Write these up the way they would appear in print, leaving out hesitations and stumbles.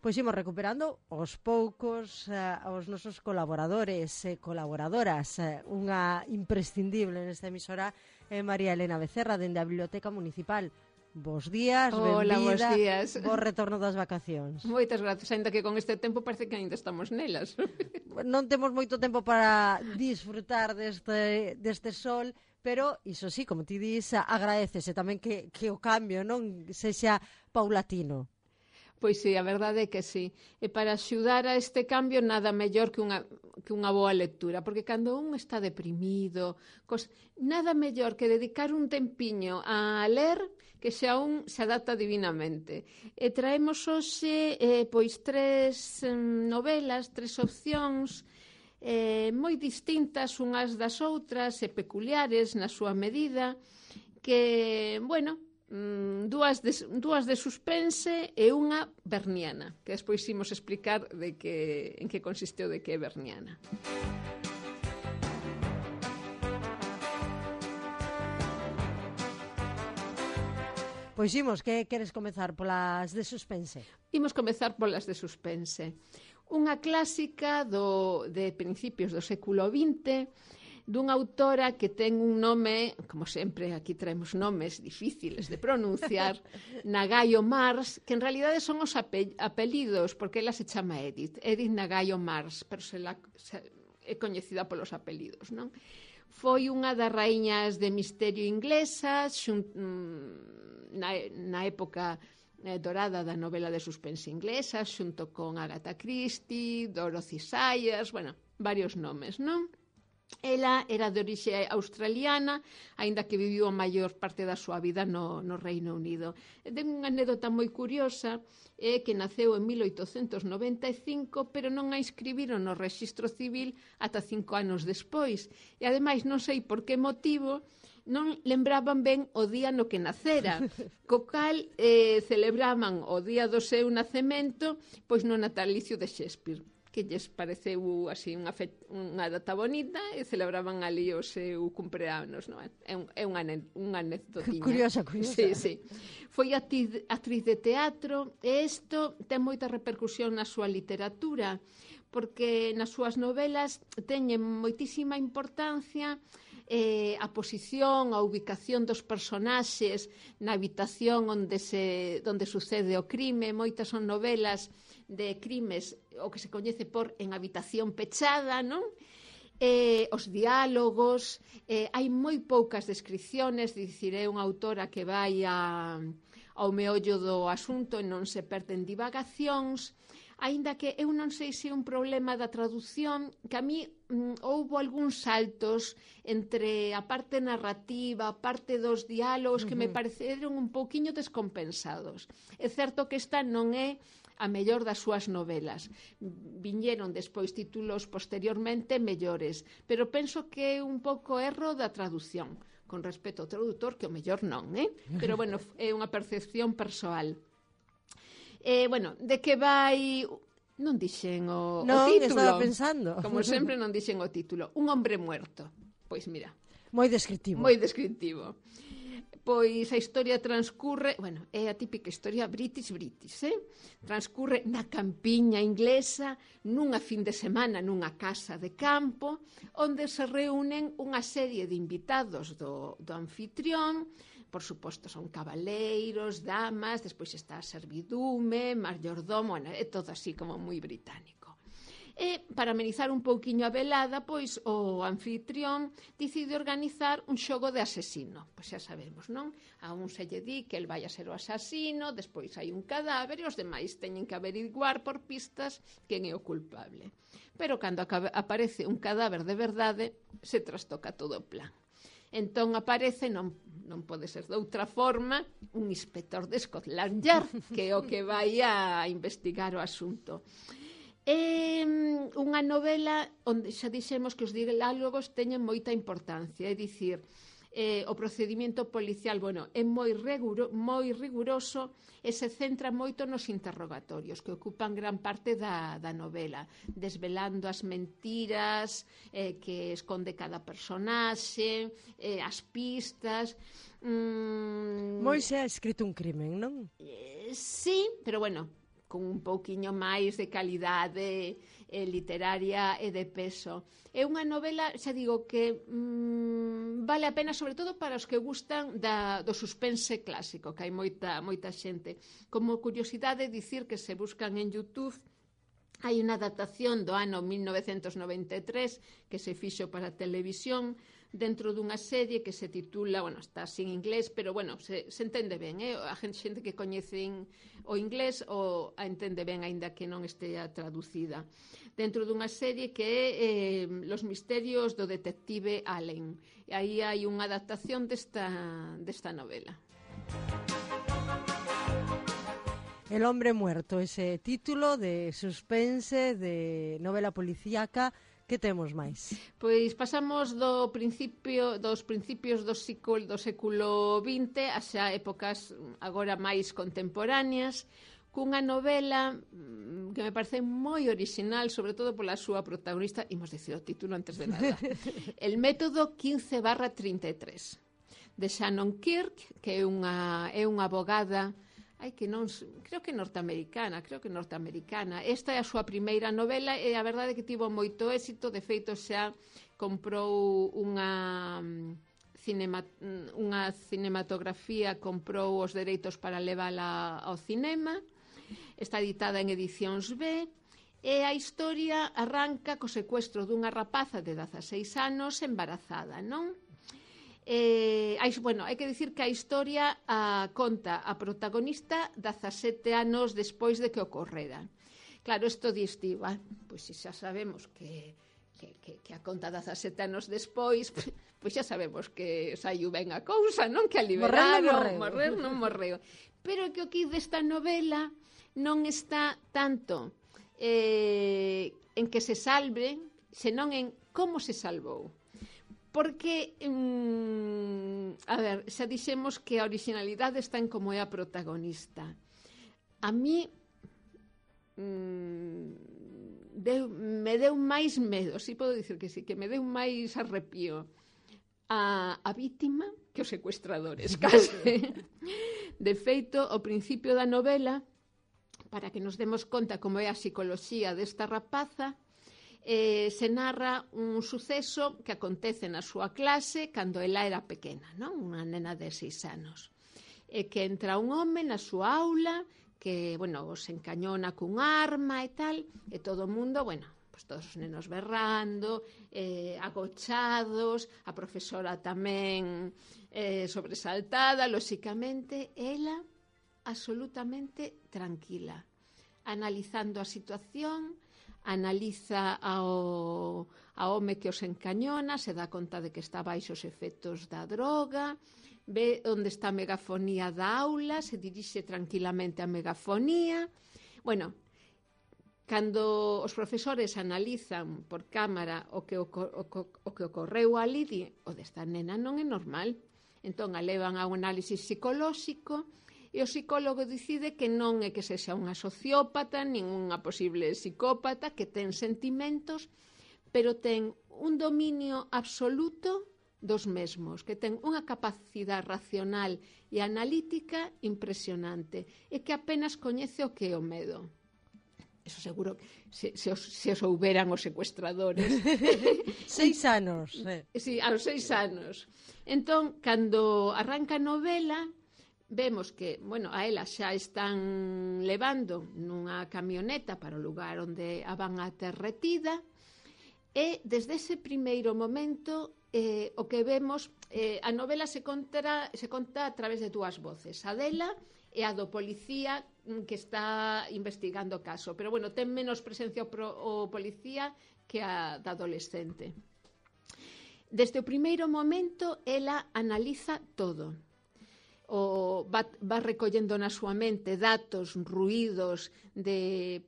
Pois imos recuperando aos poucos aos nosos colaboradores e colaboradoras. Unha imprescindible nesta emisora é María Elena Becerra, dende a Biblioteca Municipal. Bos días, Hola, benvida, bos días. bo retorno das vacacións. Moitas grazas, ainda que con este tempo parece que ainda estamos nelas. Non temos moito tempo para disfrutar deste sol, pero iso sí, como ti dis, agradecese tamén que o cambio non sexa paulatino. Pois sí, a verdade é que sí. E para axudar a este cambio nada mellor que unha boa lectura, porque cando un está deprimido, nada mellor que dedicar un tempiño a ler que xa un se adapta divinamente. E traemos hoxe pois 3 novelas, 3 opcións moi distintas unhas das outras e peculiares na súa medida, que, bueno, dúas de suspense e unha berniana, que despois imos explicar en que consistiu de que é berniana. Pois imos, que queres comezar polas de suspense? Imos comezar polas de suspense. Unha clásica de principios do século XX, dunha autora que ten un nome, como sempre aquí traemos nomes difíciles de pronunciar, Nagayo Mars, que en realidade son os apelidos, porque ela se chama Edith Nagayo Mars, pero é coñecida polos apelidos, non? Foi unha das raíñas de misterio inglesas, na época dorada da novela de suspense inglesa, xunto con Agatha Christie, Dorothy Sayers, bueno, varios nomes, non? Ela era de orixe australiana, aínda que viviu a maior parte da súa vida no Reino Unido. Ten unha anécdota moi curiosa, que naceu en 1895, pero non a inscribiron no Rexistro Civil ata 5 anos despois. E ademais non sei por que motivo non lembraban ben o día no que nacera, co cal celebraban o día do seu nacemento pois no natalicio de Shakespeare, que lles pareceu así unha data bonita e celebraban ali o seu cumpleanos, non é? É unha anécdotiña. Curiosa. Sí. Foi actriz de teatro e isto ten moita repercusión na súa literatura, porque nas súas novelas teñen moitísima importancia a posición, a ubicación dos personaxes na habitación onde sucede o crime. Moitas son novelas de crimes o que se coñece por en habitación pechada, non? Os diálogos, hai moi poucas descripciones, dicir, é unha autora que vai ao meollo do asunto e non se perden divagacións, aínda que eu non sei se é un problema da traducción, que a mí houbo algúns saltos entre a parte narrativa, a parte dos diálogos que me pareceron un pouquiño descompensados. É certo que esta non é a mellor das súas novelas. Viñeron despois títulos posteriormente mellores, pero penso que é un pouco erro da traducción, con respecto ao traductor, que o mellor non, pero bueno, é unha percepción persoal. Bueno, de que vai... Non dixen o título. Non, estaba pensando. Como sempre non dixen o título. Un hombre muerto. Pois mira. Moi descriptivo. Pois a historia transcurre, bueno, é a típica historia British, transcurre na campiña inglesa, nunha fin de semana, nunha casa de campo, onde se reúnen unha serie de invitados do anfitrión. Por suposto, son cabaleiros, damas, despois está a servidume, mayordomo, é todo así como moi británico. E, para amenizar un pouquiño a velada, pois o anfitrión decide organizar un xogo de asesino. Pois xa sabemos, non? A un se lle di que el vai a ser o asasino, despois hai un cadáver e os demais teñen que averiguar por pistas quen é o culpable. Pero cando aparece un cadáver de verdade, se trastoca todo o plan. Entón aparece, non pode ser de outra forma, un inspector de Scotland Yard, que é o que vai a investigar o asunto. É unha novela onde xa dixemos que os diálogos teñen moita importancia, é dicir, o procedimento policial, bueno, é moi riguroso e se centra moito nos interrogatorios que ocupan gran parte da novela, desvelando as mentiras que esconde cada personaxe, as pistas. Moi se ha escrito un crimen, non? Sí, pero bueno, con un pouquiño máis de calidade literaria e de peso. É unha novela, xa digo, que vale a pena, sobre todo para os que gustan do suspense clásico, que hai moita xente. Como curiosidade, dicir que se buscan en YouTube, hai unha adaptación do ano 1993 que se fixo para televisión dentro dunha serie que se titula, bueno, está sin inglés, pero bueno, se entende ben, a xente que coñecen o inglés o a entende ben, aínda que non estea traducida. Dentro dunha serie que é Los misterios do detective Allen. E aí hai unha adaptación desta novela. El hombre muerto, ese título de suspense, de novela policíaca. Que temos máis? Pois pasamos dos principios do século XX a xa épocas agora máis contemporáneas, cunha novela que me parece moi orixinal, sobre todo pola súa protagonista, imos dicir o título antes de nada, El método 15/33, de Shannon Kirk, que é unha abogada, creo que norteamericana. Esta é a súa primeira novela e a verdade é que tivo moito éxito. De feito, xa comprou unha cinematografía, comprou os dereitos para levala ao cinema. Está editada en edicións B e a historia arranca co secuestro dunha rapaza de 16 anos embarazada, non? Hai que dicir que a historia conta a protagonista 17 anos despois de que ocorrera. Claro, isto distiva, pois se xa sabemos que a conta 17 anos despois, pois xa sabemos que saiu ben a cousa, non? Que a liberaron, morrer non morreu. Pero que o que desta novela non está tanto en que se salve, senón en como se salvou. Porque, xa dixemos que a originalidade está en como é a protagonista. A mí me deu máis medo, si podo dicir que sí, que me deu máis arrepío a vítima que os secuestradores, case. De feito, ao principio da novela, para que nos demos conta como é a psicoloxía desta rapaza, se narra un suceso que acontece na súa clase cando ela era pequena, non? Unha nena de 6 anos. E que entra un home na súa aula que, bueno, se encañona cun arma e tal, e todo o mundo, bueno, pues todos os nenos berrando, agochados, a profesora tamén sobresaltada, lóxicamente, ela absolutamente tranquila, analizando a situación, analiza ao home que os encañona, se dá conta de que está baixo os efectos da droga, ve onde está a megafonía da aula, se dirixe tranquilamente á megafonía. Bueno, cando os profesores analizan por cámara o que ocorreu ali, o desta nena non é normal. Entón, a levan a un análisis psicolóxico e o psicólogo decide que non é que sexa unha sociópata, nin unha posible psicópata, que ten sentimentos, pero ten un dominio absoluto dos mesmos, que ten unha capacidade racional e analítica impresionante e que apenas coñece o que é o medo. Eso seguro se o souberan os secuestradores. 6 anos. Sí, aos 6 anos. Entón, cando arranca a novela, vemos que, bueno, a ela xa están levando nunha camioneta para o lugar onde a van a ter retida e desde ese primeiro momento o que vemos, a novela se conta a través de dúas voces, a dela e a do policía que está investigando o caso, pero bueno, ten menos presencia o policía que a da adolescente. Desde o primeiro momento ela analiza todo, va recollendo na súa mente datos, ruídos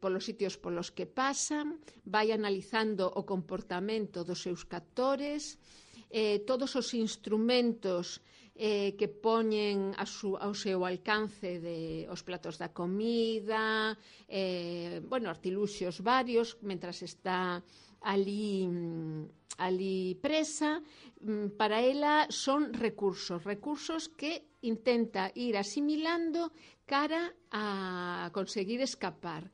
polos sitios polos que pasan, vai analizando o comportamento dos seus captores, todos os instrumentos que poñen ao seu alcance os platos da comida, artiluxios varios, mentras está ali presa, para ela son recursos que intenta ir asimilando cara a conseguir escapar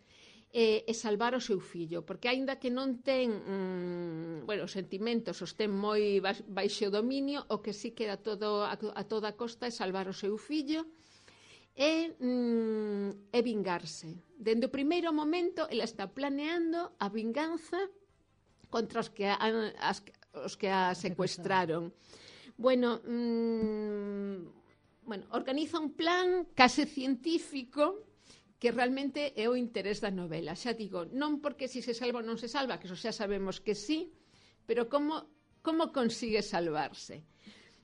e salvar o seu fillo, porque aínda que non ten os sentimentos os ten moi baixo dominio, o que sí queda a toda costa é salvar o seu fillo e vingarse. Dende o primeiro momento ela está planeando a vinganza contra os que a secuestraron. Organiza un plan case científico que realmente é o interés da novela. Xa digo, non porque si se salva ou non se salva, que eso xa sabemos que sí, pero como consigue salvarse.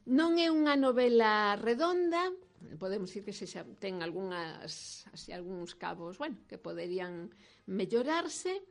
Non é unha novela redonda, podemos dicir que xa ten algúns cabos, que poderían mellorarse,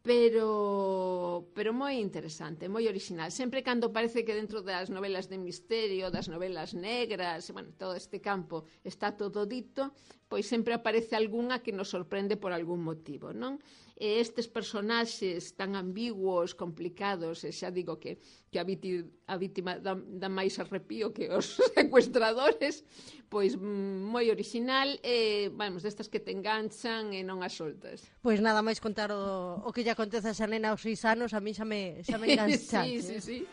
pero moi interesante, moi original. Sempre cando parece que dentro das novelas de misterio, das novelas negras, todo este campo está todo dito, pois sempre aparece algunha que nos sorprende por algún motivo, non? E estes personaxes tan ambiguos, complicados, e xa digo que a vítima dá máis arrepío que os secuestradores, pois moi original, destas que te enganchan e non as soltas. Pois nada máis contar o que lle acontece a esa nena aos 6 anos, a mí xa me enganchaste. Sí.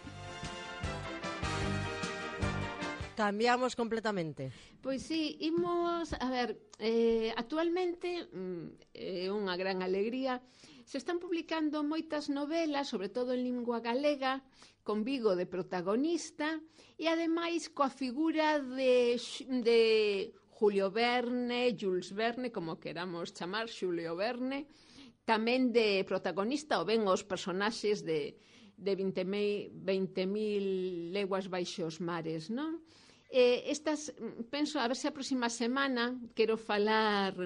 Cambiamos completamente. Pois sí, imos, actualmente é unha gran alegría, se están publicando moitas novelas, sobre todo en lingua galega, con Vigo de protagonista, e ademais coa figura de Julio Verne, Jules Verne, como queramos chamar, Xulio Verne, tamén de protagonista, ou ben os personaxes de 20.000 leguas baixo os mares, non? Penso, a ver se a próxima semana quero falar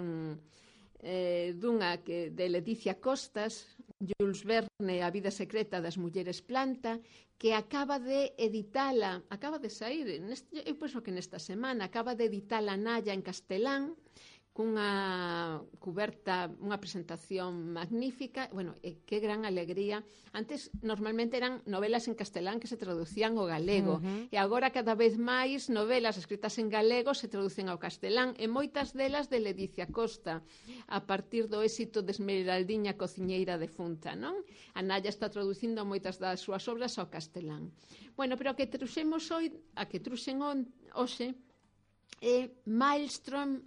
dunha de Leticia Costas, Jules Verne, A vida secreta das mulleres planta, que acaba de sair, eu penso que nesta semana, acaba de editala Nalla en castelán, cunha cuberta, unha presentación magnífica, que gran alegría. Antes, normalmente eran novelas en castelán que se traducían ao galego, e agora cada vez máis novelas escritas en galego se traducen ao castelán, e moitas delas de Leticia Costa, a partir do éxito de Esmeraldiña cociñeira defunta, non? A Nalla está traducindo moitas das súas obras ao castelán. Pero a que truxemos hoxe, é Maelstrom,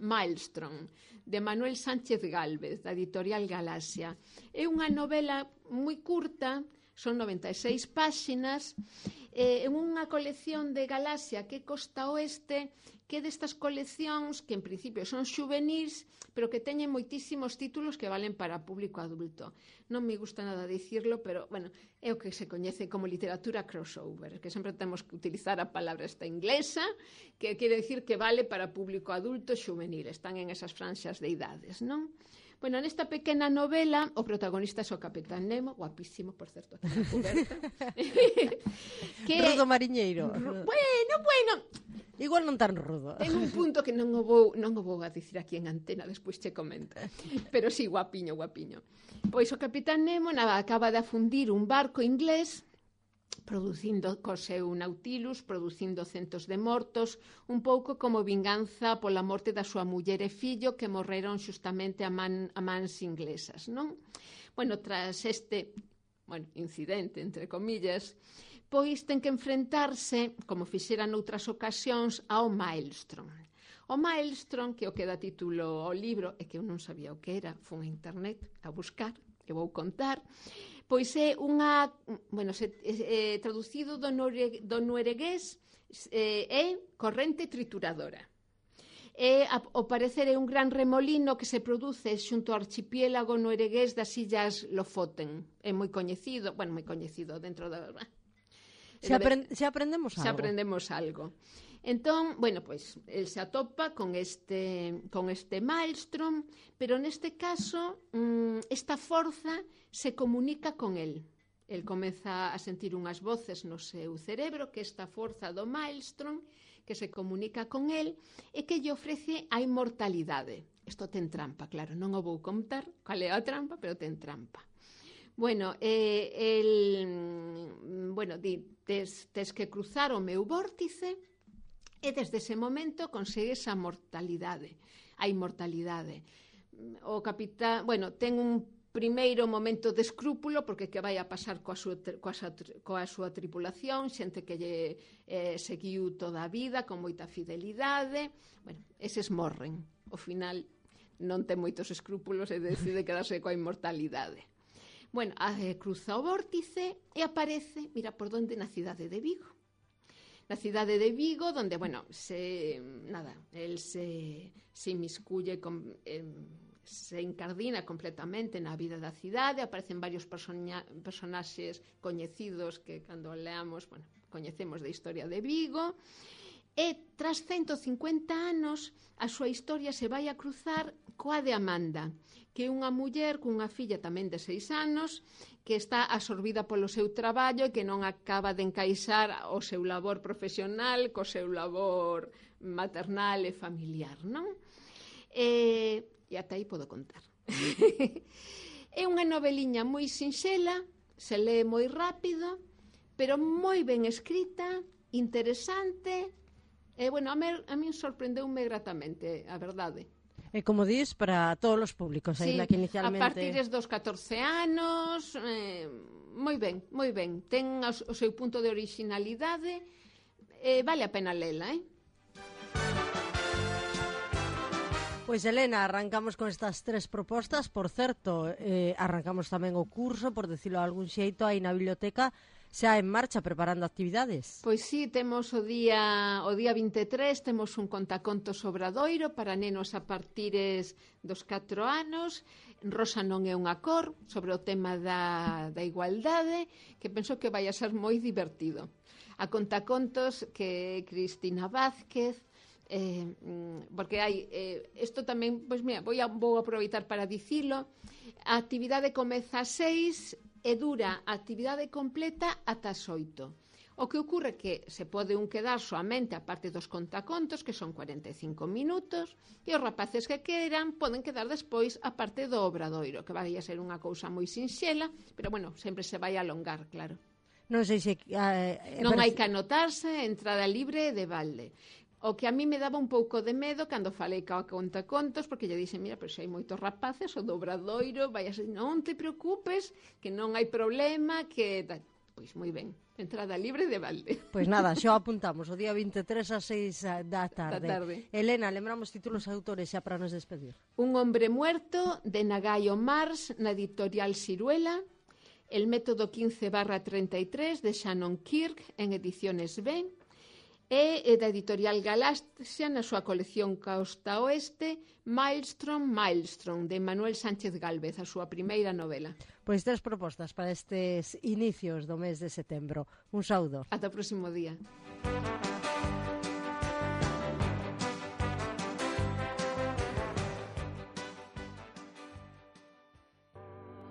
de Manuel Sánchez Gálvez, da editorial Galaxia. É unha novela moi curta, son 96 páxinas, é unha colección de Galaxia que é Costa Oeste, que é destas coleccións que en principio son xuvenís, pero que teñen moitísimos títulos que valen para público adulto. Non me gusta nada dicirlo, pero, é o que se coñece como literatura crossover, que sempre temos que utilizar a palabra esta inglesa, que quere dicir que vale para público adulto e xuvenil, están en esas franxas de idades, non? Nesta pequena novela, o protagonista é o Capitán Nemo, guapísimo, por certo, aquí na coberta. Rudo mariñeiro. Igual non tan rudo. Ten un punto que non o vou a dicir aquí en antena, despois che comento. Pero sí, guapiño. Pois o Capitán Nemo acaba de afundir un barco inglés, producindo co seu Nautilus, producindo centos de mortos, un pouco como vinganza pola morte da súa muller e fillo que morreron xustamente a mans inglesas, non? Tras este incidente, entre comillas, pois ten que enfrentarse, como fixera noutras ocasións, ao Maelstrom. O Maelstrom, que é o que dá título ao libro, e que eu non sabía o que era, fun a internet a buscar, e vou contar, pois é unha, traducido do noruegués, é corrente trituradora. Ao parecer é un gran remolino que se produce xunto ao archipiélago noruegués das illas Lofoten. É moi coñecido dentro da... Xa aprendemos algo. Entón, el se atopa con este Maelstrom, pero neste caso, esta forza se comunica con el. El comeza a sentir unhas voces no seu cerebro, que esta forza do Maelstrom, que se comunica con el, e que lle ofrece a inmortalidade. Isto ten trampa, claro, non o vou contar cal é a trampa, pero ten trampa. Bueno, tes que cruzar o meu vórtice e desde ese momento consegues a mortalidade, a inmortalidade. O capitán, ten un primeiro momento de escrúpulo porque que vai a pasar coa súa tripulación, xente que lle seguiu toda a vida con moita fidelidade. Eses morren. Ao final non ten moitos escrúpulos e decide quedarse coa inmortalidade. Cruza o vórtice e aparece, mira por onde, na cidade de Vigo. Na cidade de Vigo, donde, el se inmiscuye, se encardina completamente na vida da cidade, aparecen varios personaxes coñecidos que, cando leamos, coñecemos da historia de Vigo, e tras 150 anos a súa historia se vai a cruzar coa de Amanda, que é unha muller cunha filla tamén de 6 anos que está absorbida polo seu traballo e que non acaba de encaixar o seu labor profesional co seu labor maternal e familiar, non? E ata aí podo contar. É unha noveliña moi sinxela, se lee moi rápido, pero moi ben escrita, interesante. A mí sorprendeume gratamente, a verdade. E como dis, para todos os públicos, sí, que inicialmente... a partir dos 14 anos, moi ben. Ten o seu punto de originalidade, vale a pena lela, Pois, Elena, arrancamos con estas 3 propostas. Por certo, arrancamos tamén o curso, por decirlo de algún xeito, aí na biblioteca, xa en marcha, preparando actividades. Pois sí, temos o día 23, temos un contacontos Obradoiro para nenos a partires dos 4 anos. Rosa non é unha cor, sobre o tema da igualdade, que penso que vai a ser moi divertido. A contacontos que Cristina Vázquez, porque hai isto tamén, vou aproveitar para dicilo. A actividade comeza a 6 e dura a actividade completa ata as 8. O que ocorre que se pode quedar soamente a parte dos contacontos, que son 45 minutos, e os rapaces que queiran poden quedar despois a parte do obradoiro, que vai a ser unha cousa moi sinxela, pero sempre se vai alongar, claro. Non sei se... non hai que anotarse, entrada libre de balde. O que a mí me daba un pouco de medo cando falei coa contacontos, porque lle dixen, mira, pero se hai moitos rapaces, o do obradoiro vai a ser, non te preocupes, que non hai problema, que... Pois moi ben, entrada libre de balde. Pois nada, xo apuntamos, o día 23 a 6 da tarde. Elena, lembramos títulos e autores xa para nos despedir. Un hombre muerto, de Nagayo Mars, na editorial Siruela. El método 15/33, de Shannon Kirk, en ediciones B. E da editorial Galaxia, na súa colección Costa Oeste, Maelstrom, de Manuel Sánchez Gálvez, a súa primeira novela. Pois 3 propostas para estes inicios do mes de setembro. Un saúdo. Ata o próximo día.